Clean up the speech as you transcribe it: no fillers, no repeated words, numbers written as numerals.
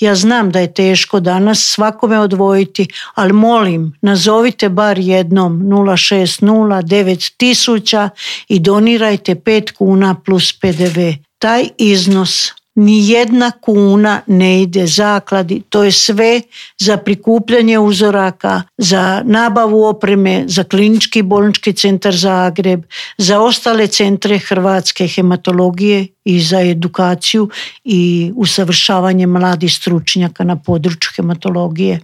Ja znam da je teško danas svakome odvojiti, ali molim, nazovite bar jednom 0609000 i donirajte 5 kuna plus PDV. Taj iznos, ni jedna kuna ne ide zakladi, to je sve za prikupljanje uzoraka, za nabavu opreme, za Klinički bolnički centar Zagreb, za ostale centre hrvatske hematologije i za edukaciju i usavršavanje mladih stručnjaka na području hematologije.